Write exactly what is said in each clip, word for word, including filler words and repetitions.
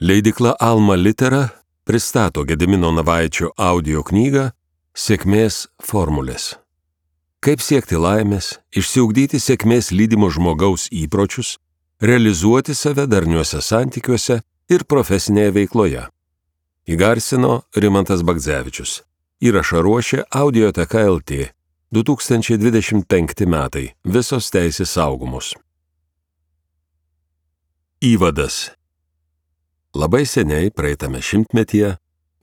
Leidykla Alma Litera pristato Gedimino Navaičio audio knygą Sėkmės formulės. Kaip siekti laimės, išsiugdyti sėkmės lydimo žmogaus įpročius, realizuoti save darniuose santykiuose ir profesinėje veikloje. Įgarsino Rimantas Bagdzevičius. Įrašą ruošė Audioteka L T. du tūkstančiai dvidešimt penkti metai. Visos teisės saugomos. Įvadas. Labai seniai, praeitame šimtmetyje,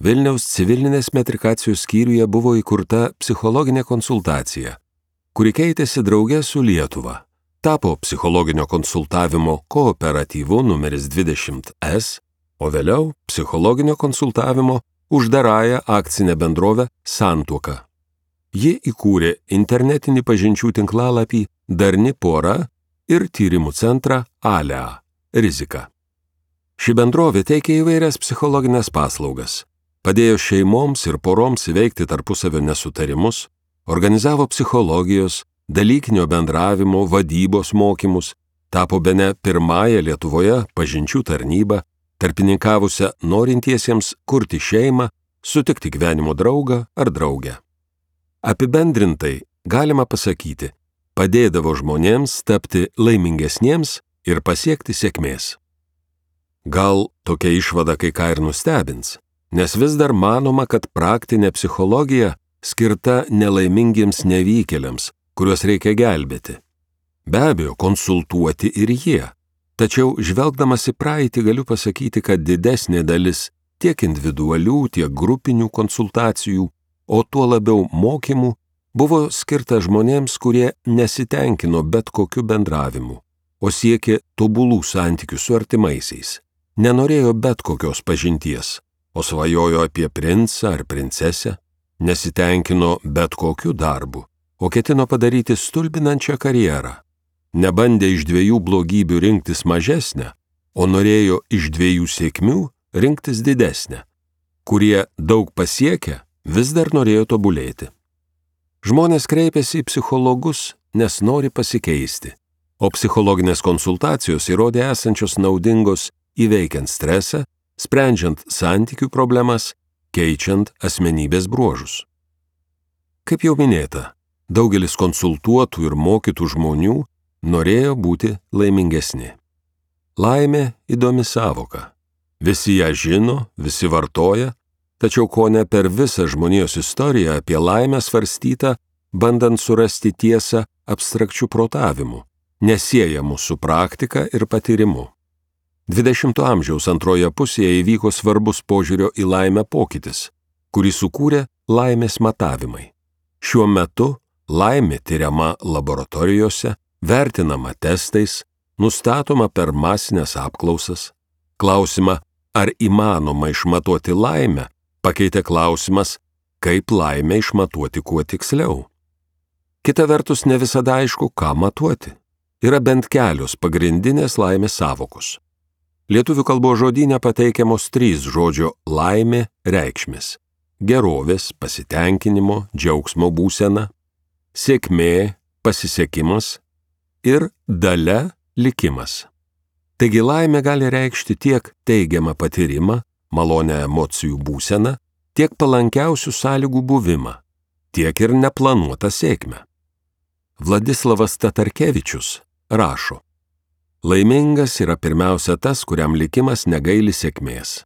Vilniaus civilinės metrikacijos skyriuje buvo įkurta psichologinė konsultacija, kuri keitėsi drauge su Lietuva. Tapo psichologinio konsultavimo kooperatyvu numeris dvidešimt S, o vėliau psichologinio konsultavimo uždarąją akcinę bendrovę Santuoka. Ji įkūrė internetinį pažinčių tinklalapį Darni pora ir tyrimų centrą Alea – Rizika. Ši bendrovė teikia įvairias psichologinės paslaugas, padėjo šeimoms ir poroms įveikti tarpusavio nesutarimus, organizavo psichologijos, dalykinio bendravimo, vadybos mokymus, tapo bene pirmąją Lietuvoje pažinčių tarnybą, tarpininkavusią norintiesiems kurti šeimą, sutikti gyvenimo draugą ar draugę. Apibendrintai galima pasakyti, padėdavo žmonėms tapti laimingesniems ir pasiekti sėkmės. Gal tokia išvada kai ką ir nustebins, nes vis dar manoma, kad praktinė psichologija skirta nelaimingiems nevykėliams, kuriuos reikia gelbėti. Be abejo, konsultuoti ir jie. Tačiau žvelgdamas į praeitį galiu pasakyti, kad didesnė dalis tiek individualių, tiek grupinių konsultacijų, o tuo labiau mokymų, buvo skirta žmonėms, kurie nesitenkino bet kokiu bendravimu, o siekė tobulų santykių su artimaisiais. Nenorėjo bet kokios pažinties, o svajojo apie princą ar princesę, nesitenkino bet kokiu darbu, o ketino padaryti stulbinančią karjerą. Nebandė iš dviejų blogybių rinktis mažesnę, o norėjo iš dviejų sėkmių rinktis didesnę. Kurie daug pasiekę, vis dar norėjo tobulėti. Žmonės kreipiasi į psichologus, nes nori pasikeisti, o psichologinės konsultacijos įrodė esančios naudingos įveikiant stresą, sprendžiant santykių problemas, keičiant asmenybės bruožus. Kaip jau minėta, daugelis konsultuotų ir mokytų žmonių norėjo būti laimingesni. Laimė įdomi sąvoka. Visi ją žino, visi vartoja, tačiau kone per visą žmonijos istoriją apie laimę svarstyta, bandant surasti tiesą abstrakčių protavimų, nesiejamų su praktika ir patyrimu. dvidešimto amžiaus antroje pusėje įvyko svarbus požiūrio į laimę pokytis, kurį sukūrė laimės matavimai. Šiuo metu laimė tyriama laboratorijose, vertinama testais, nustatoma per masinės apklausas. Klausimą, ar įmanoma išmatuoti laimę, pakeitė klausimas, kaip laimę išmatuoti kuo tiksliau. Kita vertus, ne visada aišku, ką matuoti. Yra bent kelios pagrindinės laimės sąvokos. Lietuvių kalbos žodyne pateikiamos trys žodžio laimė reikšmės – gerovės, pasitenkinimo, džiaugsmo būsena, sėkmė, pasisekimas ir dalia, likimas. Taigi laimė gali reikšti tiek teigiamą patyrimą, malonę emocijų būseną, tiek palankiausių sąlygų buvimą, tiek ir neplanuotą sėkmę. Vladislavas Tatarkevičius rašo: laimingas yra pirmiausia tas, kuriam likimas negaili sėkmės.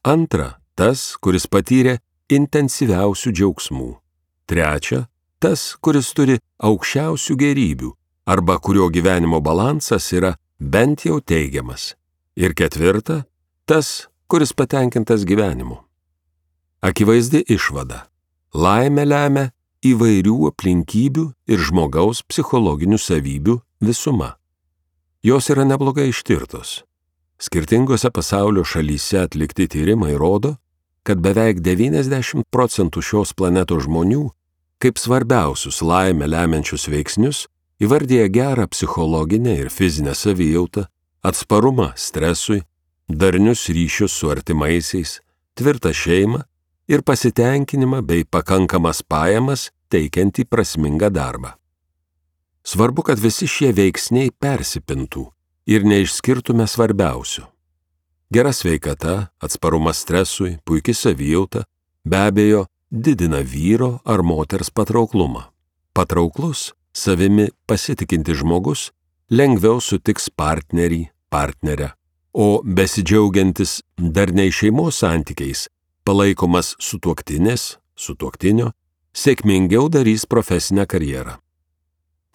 Antra, tas, kuris patyrė intensyviausių džiaugsmų. Trečia, tas, kuris turi aukščiausių gerybių arba kurio gyvenimo balansas yra bent jau teigiamas. Ir ketvirta, tas, kuris patenkintas gyvenimu. Akivaizdi išvada. Laimę lemia įvairių aplinkybių ir žmogaus psichologinių savybių visuma. Jos yra neblogai ištirtos. Skirtingose pasaulio šalyse atlikti tyrimai rodo, kad beveik devyniasdešimt procentų šios planetos žmonių kaip svarbiausius laimę lemiančius veiksnius įvardija gerą psichologinę ir fizinę savijautą, atsparumą stresui, darnius ryšius su artimaisiais, tvirtą šeimą ir pasitenkinimą bei pakankamas pajamas teikiantį prasmingą darbą. Svarbu, kad visi šie veiksniai persipintų ir neišskirtume svarbiausių. Gera sveikata, atsparumas stresui, puiki savijauta, be abejo, didina vyro ar moters patrauklumą. Patrauklus, savimi pasitikintis žmogus lengviau sutiks partnerį, partnerę, o besidžiaugiantis darniai šeimos santykiais, palaikomas sutuoktinės, sutuoktinio, sėkmingiau darys profesinę karjerą.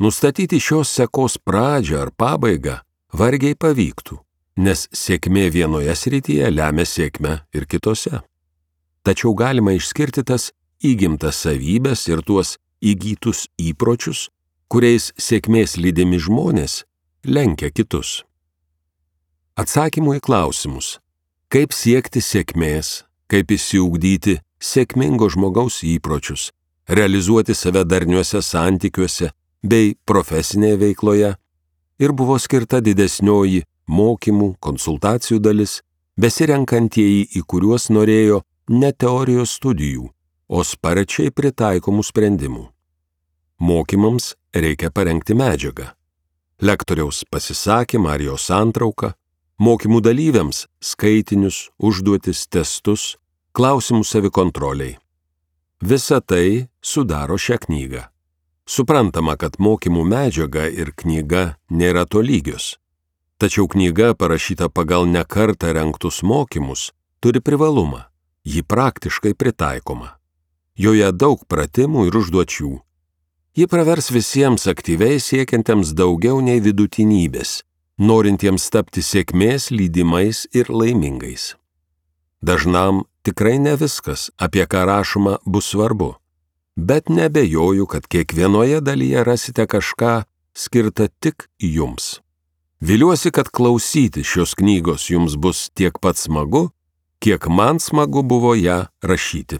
Nustatyti šios sekos pradžią ar pabaigą vargiai pavyktų, nes sėkmė vienoje srityje lemia sėkmę ir kitose. Tačiau galima išskirti tas įgimtas savybės ir tuos įgytus įpročius, kuriais sėkmės lydimi žmonės lenkia kitus. Atsakymų į klausimus, kaip siekti sėkmės, kaip išsiugdyti sėkmingo žmogaus įpročius, realizuoti save darniuose santykiuose bei profesinėje veikloje, ir buvo skirta didesnioji mokymų, konsultacijų dalis, besirenkantieji, į kuriuos norėjo ne teorijos studijų, o sparčiai pritaikomų sprendimų. Mokymams reikia parengti medžiagą. Lektoriaus pasisakymą ar jo santrauką, mokymų dalyviams skaitinius, užduotis, testus, klausimų savikontroliai. Visa tai sudaro šią knygą. Suprantama, kad mokymų medžiaga ir knyga nėra tolygios. Tačiau knyga, parašyta pagal nekartą rengtus mokymus, turi privalumą. Ji praktiškai pritaikoma. Joje daug pratimų ir užduočių. Ji pravers visiems aktyviai siekiantiems daugiau nei vidutinybės, norintiems tapti sėkmės lydimais ir laimingais. Dažnam tikrai ne viskas, apie ką rašoma, bus svarbu, bet nebejoju, kad kiekvienoje dalyje rasite kažką skirtą tik jums. Viliuosi, kad klausyti šios knygos jums bus tiek pat smagu, kiek man smagu buvo ją rašyti.